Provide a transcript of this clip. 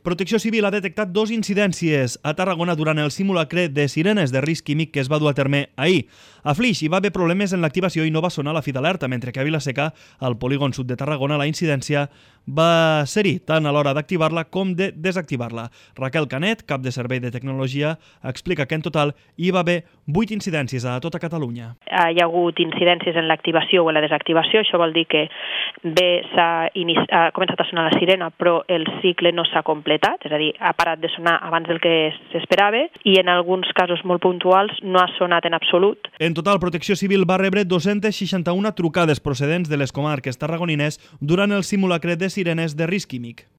Protecció Civil ha detectat 2 incidències a Tarragona durant el simulacre de sirenes de risc químic que es va dur a terme ahir. A Flix hi va haver problemes en l'activació i no va sonar la fi d'alerta, mentre que a Vila-seca, al polígon sud de Tarragona, la incidència va ser-hi tant a l'hora d'activar-la com de desactivar-la. Raquel Canet, cap de servei de tecnologia, explica que en total hi va haver 8 incidències a tota Catalunya. Hi ha hagut incidències en l'activació o en la desactivació, això vol dir que bé ha començat a sonar la sirena però el cicle no s'ha completat, és a dir, ha parat de sonar abans del que s'esperava i en alguns casos molt puntuals no ha sonat en absolut. En total, Protecció Civil va rebre 261 trucades procedents de les comarques tarragonines durant el simulacre de sirenes de risc químic.